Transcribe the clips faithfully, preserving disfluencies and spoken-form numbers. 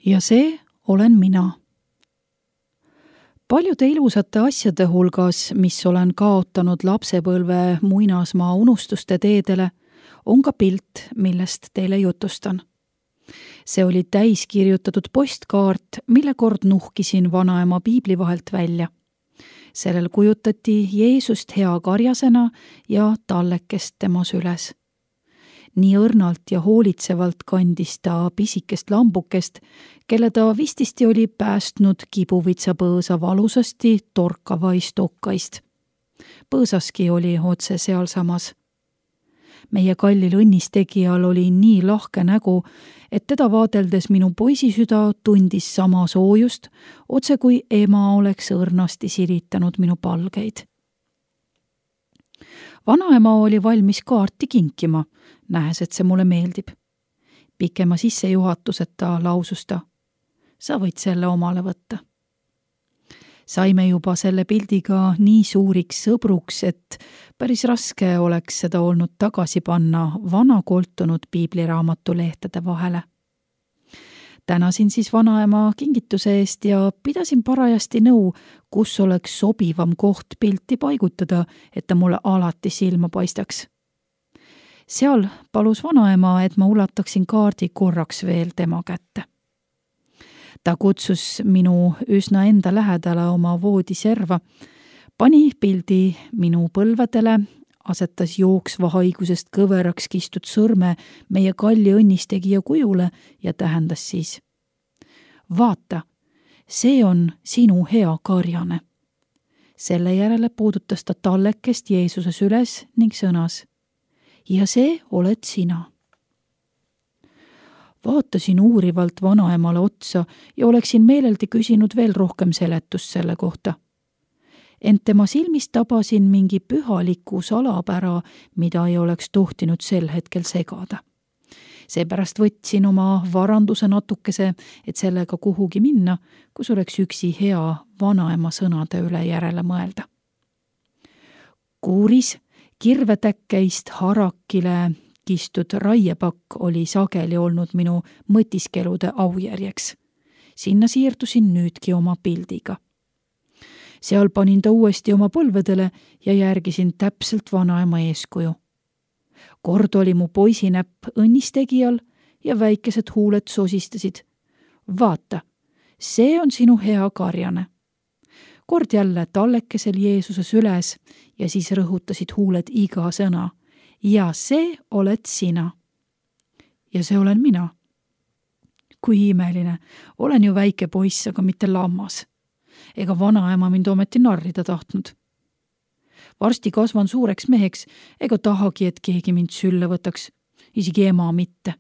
ja see olen mina. Paljude ilusate asjade hulgas, mis olen kaotanud lapsepõlve muinasmaa unustuste teedele, on ka pilt, millest teile jutustan. See oli täiskirjutatud postkaart, mille kord nuhkisin vanaema piibli vahelt välja. Sellel kujutati Jeesust hea karjasena ja tallekest tema süles. Nii õrnalt ja hoolitsevalt kandis ta pisikest lambukest, kelle ta vististi oli päästnud kibuvitsapõõsa valusasti torkavaist okkaist. Põõsaski oli otse sealsamas. Meie kallil õnnistegijal oli nii lahke nägu, et teda vaadeldes minu poisisüda tundis sama soojust, otse kui ema oleks õrnasti siritanud minu palgeid. Vanaema oli valmis kaarti kinkima, nähes, et see mulle meeldib. Pikema sissejuhatuseta lausus ta: sa võid selle omale võtta. Saime juba selle pildiga nii suuriks sõbruks, et päris raske oleks seda olnud tagasi panna vana koltunud piibliraamatu lehtede vahele. Tänasin siis vanaema kingituse eest ja pidasin parajasti nõu, kus oleks sobivam koht pilti paigutada, et ta mulle alati silma paistaks. Seal palus vanaema, et ma ulataksin kaardi korraks veel tema kätte. Ta kutsus minu üsna enda lähedale oma voodiserva, pani pildi minu põlvedele, asetas jooksva haigusest kõveraks kistud sõrme meie kalli õnnistegija kujule ja tähendas siis: vaata, see on sinu hea karjane. Selle järele puudutas ta tallekest Jeesuse süles ning sõnas: ja see oled sina. Vaatasin uurivalt vanaemale otsa ja oleksin meeleldi küsinud veel rohkem seletust selle kohta. Ent tema silmist tabasin mingi pühaliku salapära, mida ei oleks tohtinud sel hetkel segada. Seepärast võtsin oma varanduse natukese, et sellega kuhugi minna, kus oleks üksi hea vanaema sõnade üle järele mõelda. Kuuris kirvetäkkeist harakile kistud raiepakk oli sageli olnud minu mõtiskelude aujärjeks. Sinna siirdusin nüüdki oma pildiga. Seal panin ta uuesti oma põlvedele ja järgisin täpselt vanaema eeskuju. Kord oli mu poisinäpp õnnistegijal ja väikesed huuled sosistasid: vaata, see on sinu hea karjane. Kord jälle tallekesel Jeesuse süles ja siis rõhutasid huuled iga sõna: ja see oled sina. Ja see olen mina. Kui imeline, olen ju väike poiss, aga mitte lammas. Ega vanaema mind ometi narrida tahtnud. Varsti kasvan suureks meheks, ega tahagi, et keegi mind sülle võtaks, isegi ema mitte.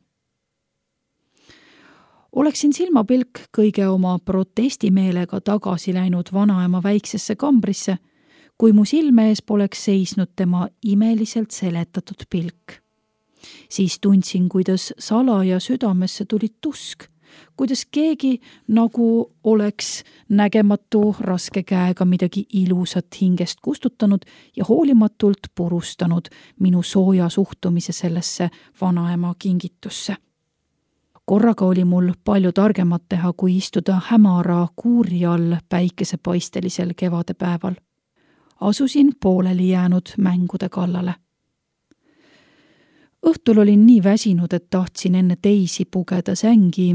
Oleksin silmapilk kõige oma protestimeelega tagasi läinud vanaema väiksesse kambrisse, kui mu silme ees poleks seisnud tema imeliselt seletatud pilk. Siis tundsin, kuidas salaja südamesse tuli tusk, kuidas keegi nagu oleks nägematu raske käega midagi ilusat hingest kustutanud ja hoolimatult purustanud minu sooja suhtumise sellesse vanaema kingitusse. Korraga oli mul palju targemat teha, kui istuda hämara kuuri all päikesepaistelisel kevadepäeval. Asusin pooleli jäänud mängude kallale. Õhtul olin nii väsinud, et tahtsin enne teisi pugeda sängi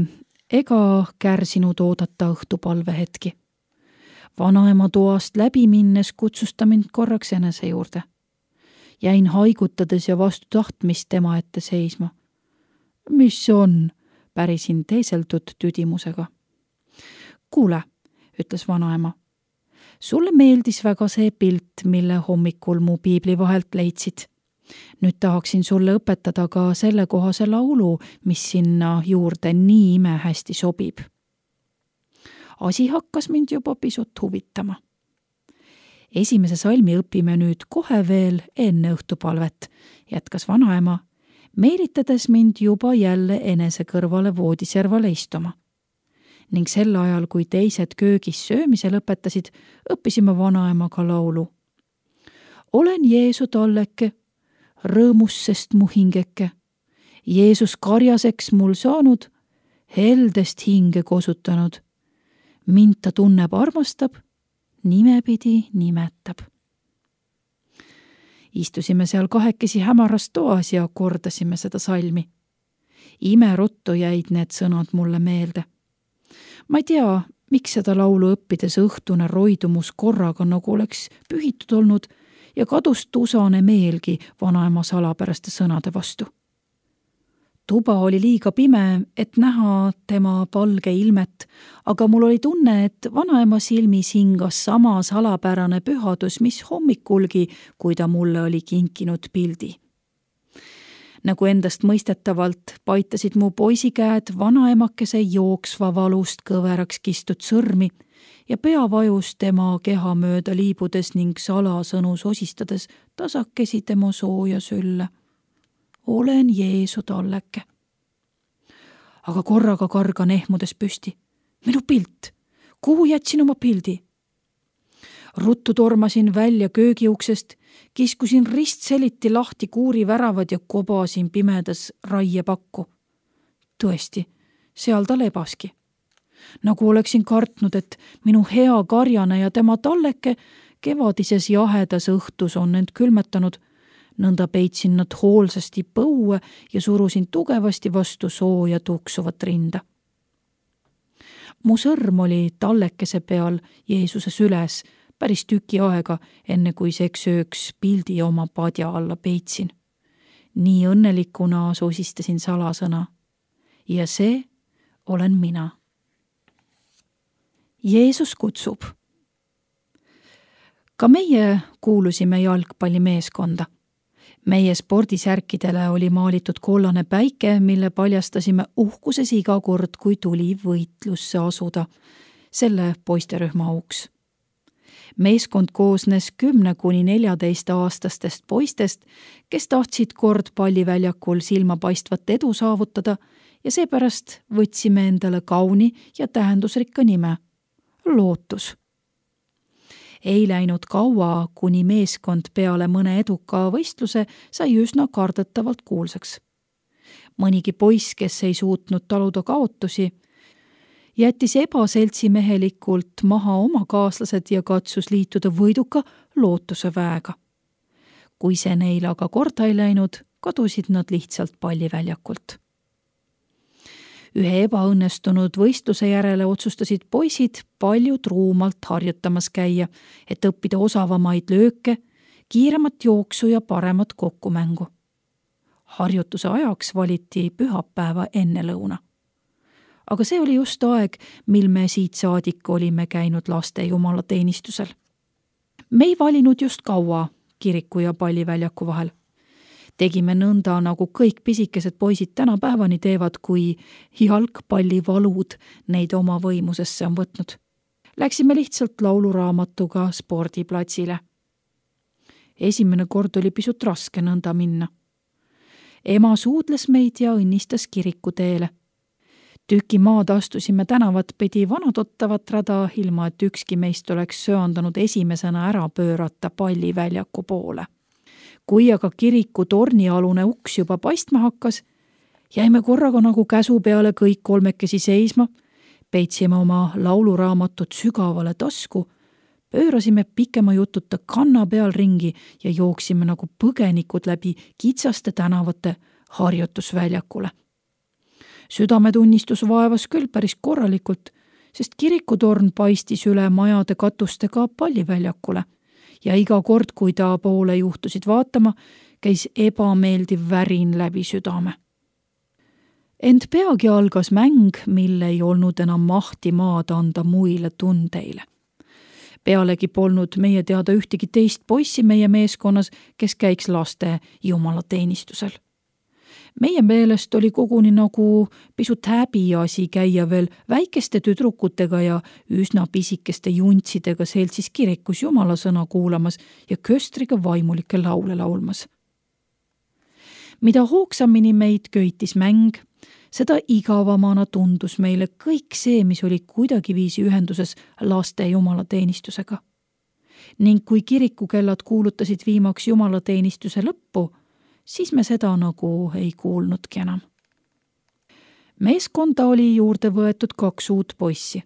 ega kärsinud oodata õhtupalve hetki. Vanaema toast läbi minnes kutsus ta mind korraks enese juurde. Jäin haigutades ja vastu tahtmist tema ette seisma. Mis on? Pärisin teiseldud tüdimusega. Kuule, ütles vanaema. Sulle meeldis väga see pilt, mille hommikul mu piibli vahelt leidsid. Nüüd tahaksin sulle õpetada ka selle kohase laulu, mis sinna juurde nii imehästi sobib. Asi hakkas mind juba pisut huvitama. Esimese salmi õpime nüüd kohe veel enne õhtupalvet, jätkas vanaema, meelitades mind juba jälle enese kõrvale voodiservale istuma. Ning sel ajal, kui teised köögis söömise lõpetasid, õppisime vanaemaga laulu. Olen Jeesu talleke, rõõmus sest mu hingeke. Jeesus karjaseks mul saanud, heldest hinge kosutanud. Mind ta tunneb, armastab, nimepidi nimetab. Istusime seal kahekesi hämaras toas ja kordasime seda salmi. Imeruttu jäid need sõnad mulle meelde. Ma ei tea, miks seda laulu õppides õhtune roidumus korraga nagu oleks pühitud olnud ja kadus tusane meelgi vanaema salapäraste sõnade vastu. Tuba oli liiga pime, et näha tema palge ilmet, aga mul oli tunne, et vanaema silmis hingas sama salapärane pühadus, mis hommikulgi, kui ta mulle oli kinkinud pildi. Nagu endast mõistetavalt paitasid mu poisikäed vanaemakese jooksva valust kõveraks kistud sõrmi ja pea vajus tema keha mööda liibudes ning salasõnu sosistades tasakesi tema sooja sülle. Olen Jeesu talleke. Aga korraga kargan ehmudes püsti. Minu pilt. Kuhu jätsin oma pildi? Ruttu tormasin välja köögiuksest, kiskusin ristseliti lahti kuuri väravad ja kobasin pimedas raiepakku. Tõesti, seal ta lebaski. Nagu oleksin kartnud, et minu hea karjane ja tema talleke kevadises jahedas õhtus on end külmetanud, nõnda peitsin nad hoolsasti põue ja surusin tugevasti vastu sooja tuksuvat rinda. Mu sõrm oli tallekese peal Jeesuse süles päris tüki aega, enne kui seksööks pildi oma padja alla peitsin. Nii õnnelikuna sosistasin salasõna. Ja see olen mina. Jeesus kutsub. Ka meie kuulusime jalgpallimeeskonda. Meie spordisärkidele oli maalitud kollane päike, mille paljastasime uhkuses iga kord, kui tuli võitlusse asuda, selle poisterühma auks. Meeskond koosnes kümne kuni neljateist aastastest poistest, kes tahtsid kord palliväljakul silmapaistvat edu saavutada ja seepärast võtsime endale kauni ja tähendusrikka nime – Lootus. Ei läinud kaua, kuni meeskond peale mõne eduka võistluse sai üsna kardetavalt kuulsaks. Mõnigi poiss, kes ei suutnud taluda kaotusi, jättis ebaseltsimehelikult maha oma kaaslased ja katsus liituda võiduka Lootuse väega. Kui see neil aga korda ei läinud, kadusid nad lihtsalt palliväljakult. Ühe ebaõnnestunud võistluse järele otsustasid poisid palju truumalt harjutamas käia, et õppida osavamaid lööke, kiiremat jooksu ja paremat kokkumängu. Harjutuse ajaks valiti pühapäeva enne lõuna. Aga see oli just aeg, mil me siit saadik olime käinud laste jumalateenistusel. Me ei valinud just kaua kiriku ja palliväljaku vahel. Tegime nõnda, nagu kõik pisikesed poisid tänapäevani teevad, kui jalgpallivalud neid oma võimusesse on võtnud. Läksime lihtsalt lauluraamatuga spordiplatsile. Esimene kord oli pisut raske nõnda minna. Ema suudles meid ja õnnistas kiriku teele. Tüki maad astusime tänavat pidi vanatottavat rada, ilma et ükski meist oleks söandanud esimesena ära pöörata palliväljaku poole. Kui aga kiriku tornialune uks juba paistma hakkas, jäime korraga nagu käsu peale kõik kolmekesi seisma, peitsime oma lauluraamatut sügavale tasku, pöörasime pikema jututa kanna peal ringi ja jooksime nagu põgenikud läbi kitsaste tänavate harjutusväljakule. Südametunnistus vaevas küll päris korralikult, sest kirikutorn paistis üle majade katustega palliväljakule ja iga kord, kui ta poole juhtusid vaatama, käis ebameeldiv värin läbi südame. Ent peagi algas mäng, mille ei olnud enam mahti maad anda muile tundeile. Pealegi polnud meie teada ühtegi teist poissi meie meeskonnas, kes käiks laste jumalateenistusel. Meie meelest oli koguni nagu pisut häbiasi käia veel väikeste tüdrukutega ja üsna pisikeste juntsidega seltsis kirikus jumalasõna kuulamas ja köstriga vaimulikke laule laulmas. Mida hoogsamini meid köitis mäng, seda igavamana tundus meile kõik see, mis oli kuidagiviisi ühenduses laste jumalateenistusega. Ning kui kirikukellad kuulutasid viimaks jumalateenistuse lõppu, siis me seda nagu ei kuulnudki enam. Meeskonda oli juurde võetud kaks uut poissi.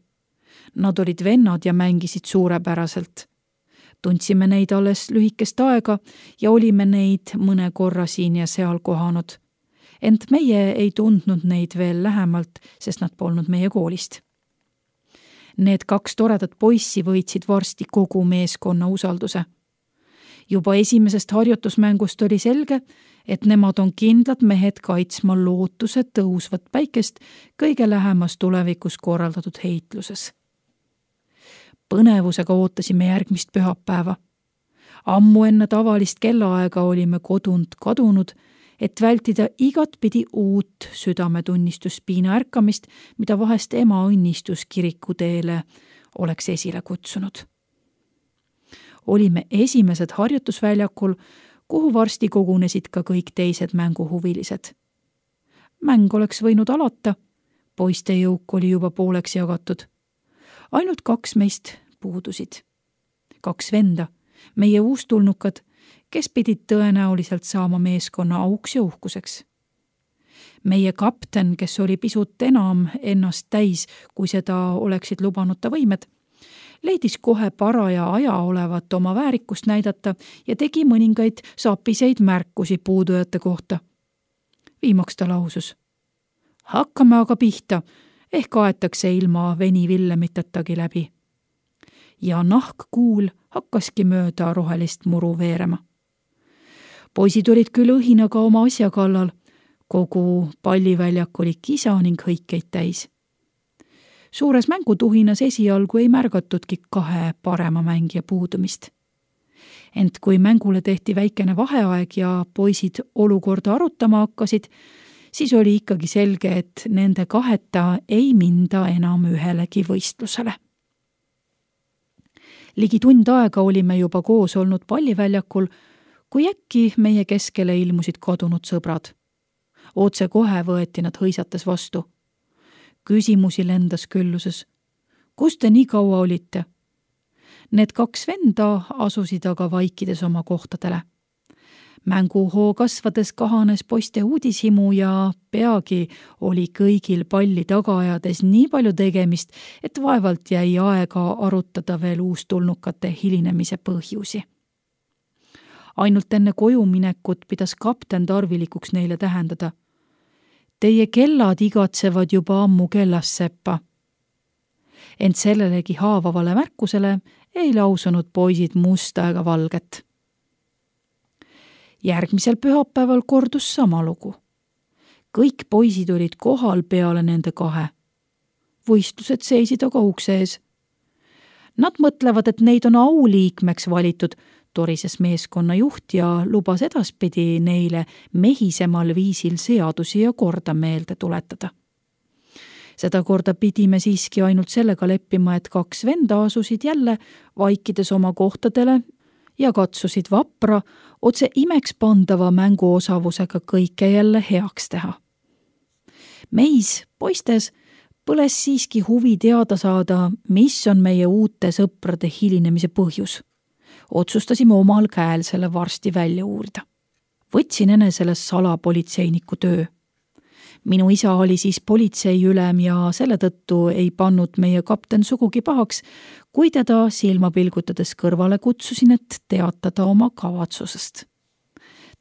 Nad olid vennad ja mängisid suurepäraselt. Tundsime neid alles lühikest aega ja olime neid mõne korra siin ja seal kohanud. Ent meie ei tundnud neid veel lähemalt, sest nad polnud meie koolist. Need kaks toredat poissi võitsid varsti kogu meeskonna usalduse. Juba esimesest harjutusmängust oli selge, et nemad on kindlad mehed kaitsma lootuse tõusvat päikest kõige lähemas tulevikus korraldatud heitluses. Põnevusega ootasime järgmist pühapäeva. Ammu enne tavalist kellaaega olime kodunt kadunud, et vältida igat pidi uut südametunnistuspiina ärkamist, mida vahest ema õnnistus kirikuteele oleks esile kutsunud. Olime esimesed harjutusväljakul, kuhu varsti kogunesid ka kõik teised mänguhuvilised. Mäng oleks võinud alata, poiste jõuk oli juba pooleks jagatud. Ainult kaks meist puudusid. Kaks venda, meie uustulnukad, kes pidid tõenäoliselt saama meeskonna auks ja uhkuseks. Meie kapten, kes oli pisut enam ennast täis, kui seda oleksid lubanud ta võimed, leidis kohe paraja aja olevat oma väärikust näidata ja tegi mõningaid saapiseid märkusi puudujate kohta. Viimaks ta lausus: hakkame aga pihta, ehk aetakse ilma veni Villemittatagi läbi. Ja nahkkuul hakkaski mööda rohelist muru veerema. Poisid olid küll õhinaga oma asja kallal, kogu palliväljak oli kisa ning hõikeid täis. Suures mängutuhinas esialgu ei märgatudki kahe parema mängija puudumist. Ent kui mängule tehti väikene vaheaeg ja poisid olukorda arutama hakkasid, siis oli ikkagi selge, et nende kaheta ei minda enam ühelegi võistlusele. Ligi tund aega olime juba koos olnud palliväljakul, kui äkki meie keskele ilmusid kadunud sõbrad. Otse kohe võeti nad hõisates vastu. Küsimusi lendas külluses. Kus te nii kaua olite? Need kaks venda asusid aga vaikides oma kohtadele. Mänguhoo kasvades kahanes poiste uudishimu ja peagi oli kõigil palli taga ajades nii palju tegemist, et vaevalt jäi aega arutada veel uustulnukate hilinemise põhjusi. Ainult enne koju minekut pidas kapten tarvilikuks neile tähendada: teie kellad igatsevad juba ammu kellasseppa. Ent sellelegi haavavale märkusele ei lausunud poisid musta ega valget. Järgmisel pühapäeval kordus sama lugu. Kõik poisid olid kohal peale nende kahe. Võistlused seisid aga ukse ees. Nad mõtlevad, et neid on auliikmeks valitud, torises meeskonna juht ja lubas edaspidi neile mehisemal viisil seadusi ja korda meelde tuletada. Seda korda pidime siiski ainult sellega leppima, et kaks venda asusid jälle vaikides oma kohtadele ja katsusid vapra, otse imeks pandava mänguosavusega kõike jälle heaks teha. Meis, poistes, põles siiski huvi teada saada, mis on meie uute sõprade hilinemise põhjus. Otsustasime omal käel selle varsti välja uurida. Võtsin enesele salapolitseiniku töö. Minu isa oli siis politseiülem ja selle tõttu ei pannud meie kapten sugugi pahaks, kui teda silma pilgutades kõrvale kutsusin, et teatada oma kavatsusest.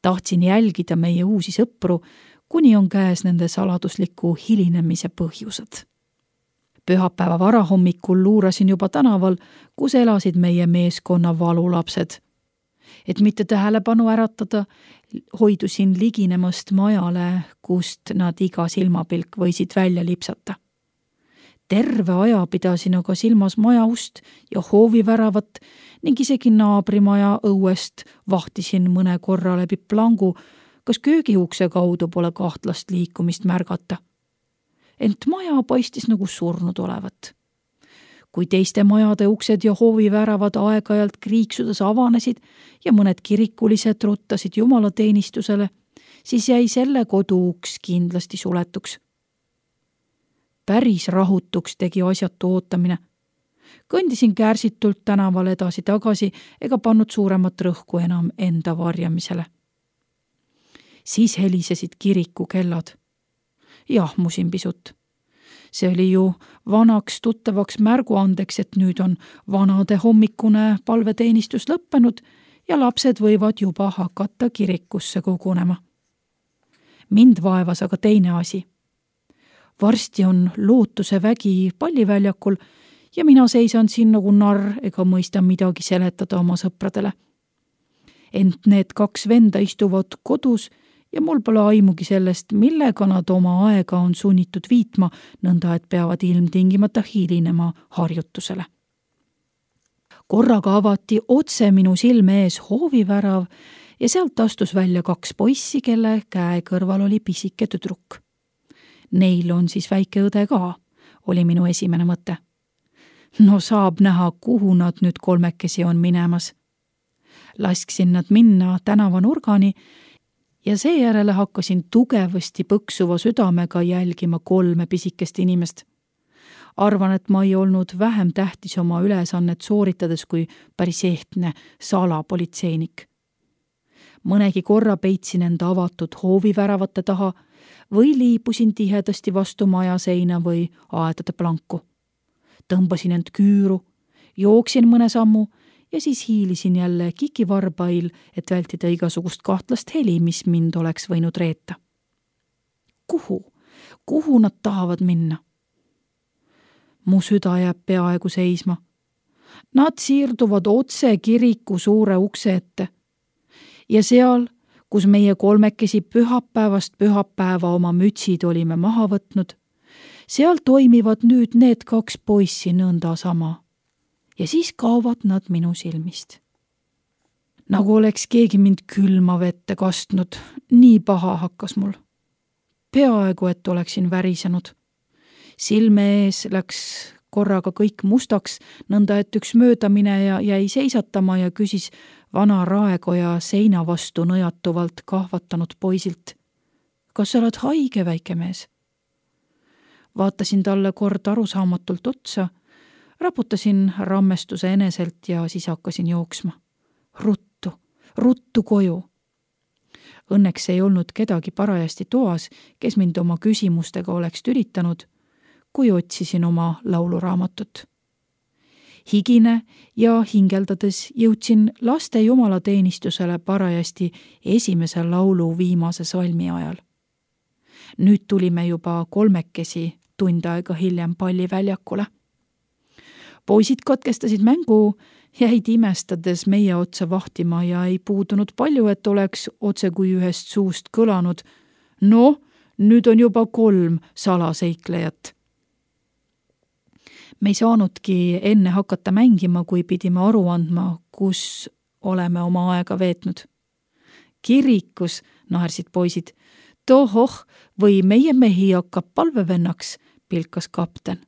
Tahtsin jälgida meie uusi sõpru, kuni on käes nende saladusliku hilinemise põhjused. Pühapäeva varahommikul luurasin juba tänaval, kus elasid meie meeskonna valulapsed. Et mitte tähelepanu äratada, hoidusin liginemast majale, kust nad iga silmapilk võisid välja lipsata. Terve aja pidasin aga silmas maja ust ja hooviväravat ning isegi naabrimaja õuest vahtisin mõne korra läbi plangu, kas köögiukse kaudu pole kahtlast liikumist märgata. Ent maja paistis nagu surnud olevat. Kui teiste majade uksed ja hooviväravad aeg-ajalt kriiksudes avanesid ja mõned kirikulised ruttasid jumalateenistusele, siis jäi selle kodu uks kindlasti suletuks. Päris rahutuks tegi asjatu ootamine. Kõndisin kärsitult tänaval edasi-tagasi ega pannud suuremat rõhku enam enda varjamisele. Siis helisesid kiriku kellad. jahmusin pisut. See oli ju vanaks tuttavaks märguandeks, et nüüd on vanade hommikune palveteenistus lõppenud ja lapsed võivad juba hakata kirikusse kogunema. Mind vaevas aga teine asi. Varsti on lootuse vägi palliväljakul ja mina seisan siin nagu narr ega mõista midagi seletada oma sõpradele. Ent need kaks venda istuvad kodus ja mul pole aimugi sellest, millega nad oma aega on sunnitud viitma, nõnda et peavad ilmtingimata hiilinema harjutusele. Korraga avati otse minu silme ees hoovivärav ja sealt astus välja kaks poissi, kelle käe kõrval oli pisike tüdruk. Neil on siis väike õde ka, oli minu esimene mõte. No saab näha, kuhu nad nüüd kolmekesi on minemas. Lasksin nad minna tänava nurgani ja seejärele hakkasin tugevasti põksuva südamega jälgima kolme pisikest inimest. Arvan, et ma ei olnud vähem tähtis oma ülesannet sooritades kui päris ehtne salapolitseinik. Mõnegi korra peitsin enda avatud hooviväravate taha või liibusin tihedasti vastu maja seina või aedade planku. Tõmbasin end küüru, jooksin mõne sammu ja siis hiilisin jälle kikivarbail, et vältida igasugust kahtlast heli, mis mind oleks võinud reeta. Kuhu? Kuhu nad tahavad minna? Mu süda jääb peaaegu seisma. Nad siirduvad otse kiriku suure ukse ette. Ja seal, kus meie kolmekesi pühapäevast pühapäeva oma mütsid olime maha võtnud, seal toimivad nüüd need kaks poissi nõnda sama. Ja siis kaovad nad minu silmist. Nagu oleks keegi mind külma vette kastnud, nii paha hakkas mul. Peaaegu, et oleksin värisenud. Silme ees läks korraga kõik mustaks, nõnda et üks möödamineja jäi seisatama ja küsis vana raekoja seina vastu nõjatuvalt kahvatanud poisilt. Kas sa oled haige, väike mees? Vaatasin talle kord arusaamatult otsa, raputasin rammestuse eneselt ja siis hakkasin jooksma. Ruttu, ruttu koju. Õnneks ei olnud kedagi parajasti toas, kes mind oma küsimustega oleks tülitanud, kui otsisin oma lauluraamatut. Higine ja hingeldades jõudsin laste jumalateenistusele parajasti esimese laulu viimase salmi ajal. Nüüd tulime juba kolmekesi tund aega hiljem palliväljakule. Poisid katkestasid mängu, jäid imestades meie otsa vahtima ja ei puudunud palju, et oleks otse kui ühest suust kõlanud. No, nüüd on juba kolm salaseiklejat. Me ei saanudki enne hakata mängima, kui pidime aru andma, kus oleme oma aega veetnud. Kirikus, naersid poisid, tohoh, või meie mehi hakkab palvevennaks, pilkas kapten.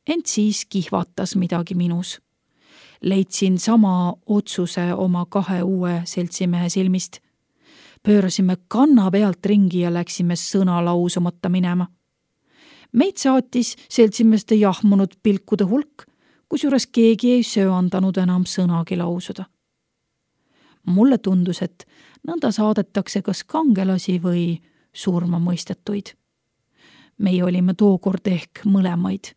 Ent siis kihvatas midagi minus. Leidsin sama otsuse oma kahe uue seltsimehe silmist. Pöörasime kanna pealt ringi ja läksime sõna lausumata minema. Meid saatis seltsimeeste jahmunud pilkude hulk, kusjuures keegi ei söandanud enam sõnagi lausuda. Mulle tundus, et nõnda saadetakse kas kangelasi või surma mõistetuid. Meie olime tookord ehk mõlemaid.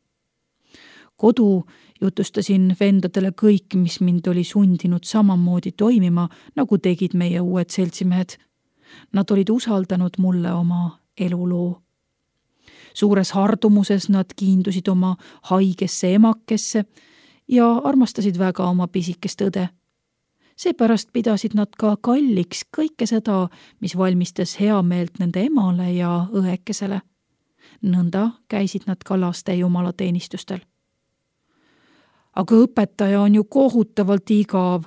Kodu jutustasin vendadele kõik, mis mind oli sundinud samamoodi toimima, nagu tegid meie uued seltsimehed. Nad olid usaldanud mulle oma eluloo. Suures hardumuses nad kiindusid oma haigesse emakesse ja armastasid väga oma pisikest õde. Seepärast pidasid nad ka kalliks kõike seda, mis valmistas hea meelt nende emale ja õekesele. Nõnda käisid nad ka laste jumalateenistustel. Aga õpetaja on ju kohutavalt igav,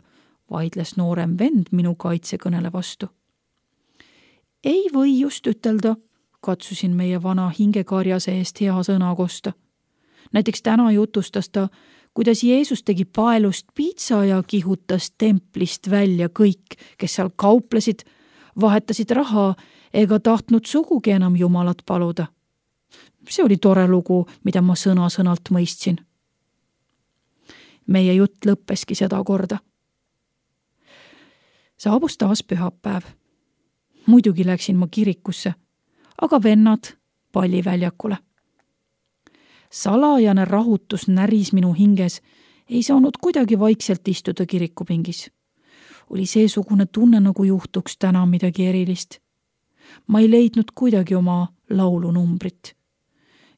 vaidles noorem vend minu kaitsekõnele vastu. Ei või just ütelda, katsusin meie vana hingekarjase eest hea sõna kosta. Näiteks täna jutustas ta, kuidas Jeesus tegi paelust piitsa ja kihutas templist välja kõik, kes seal kauplesid, vahetasid raha ega tahtnud sugugi enam Jumalat paluda. See oli tore lugu, mida ma sõna-sõnalt mõistsin. Meie jutt lõppeski seda korda. Saabus taas pühapäev. Muidugi läksin ma kirikusse, aga vennad palliväljakule. Salajane rahutus näris minu hinges, ei saanud kuidagi vaikselt istuda kirikupingis. Oli seesugune tunne, nagu juhtuks täna midagi erilist. Ma ei leidnud kuidagi oma laulunumbrit.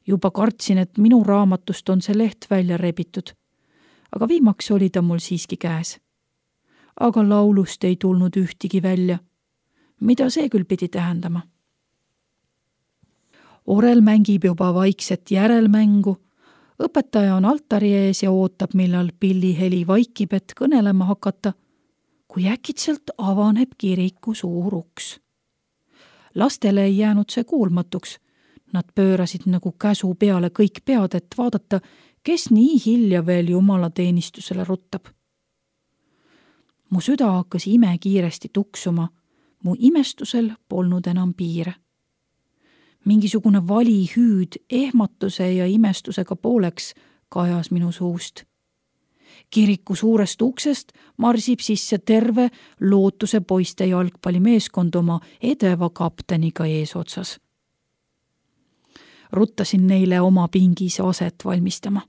Juba kartsin, et minu raamatust on see leht välja rebitud, aga viimaks oli ta mul siiski käes. Aga laulust ei tulnud ühtigi välja. Mida see küll pidi tähendama? Orel mängib juba vaikset järelmängu, õpetaja on altari ees ja ootab, millal pilliheli vaikib, et kõnelema hakata, kui äkitselt avaneb kiriku suur uks. Lastele ei jäänud see kuulmatuks. Nad pöörasid nagu käsu peale kõik pead, et vaadata, kes nii hilja veel jumala teenistusele ruttab. Mu süda hakkas ime kiiresti tuksuma, mu imestusel polnud enam piire. Mingisugune vali hüüd ehmatuse ja imestusega pooleks kajas minu suust. Kiriku suurest uksest marsib sisse terve Lootuse poiste jalgpallimeeskond oma edeva kapteniga eesotsas. Ruttasin neile oma pingis aset valmistama.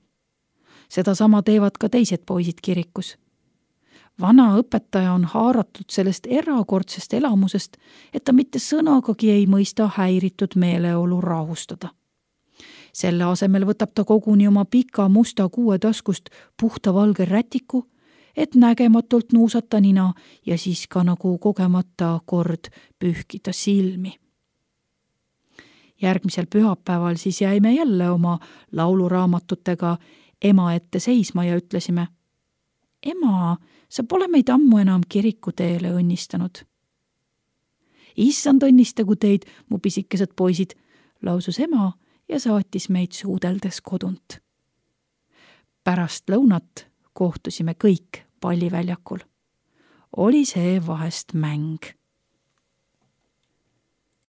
Seda sama teevad ka teised poisid kirikus. Vana õpetaja on haaratud sellest erakordsest elamusest, et ta mitte sõnagagi ei mõista häiritud meeleolu rahustada. Selle asemel võtab ta koguni oma pika musta kuue taskust puhta valge rätiku, et nägematult nuusata nina ja siis ka nagu kogemata kord pühkida silmi. Järgmisel pühapäeval siis jäime jälle oma lauluraamatutega ema ette seisma ja ütlesime: Ema, sa pole meid ammu enam kirikuteele õnnistanud. Issand õnnistagu teid, mu pisikesed poisid, lausus ema ja saatis meid suudeldes kodunt. Pärast lõunat kohtusime kõik palliväljakul. Oli see vahest mäng.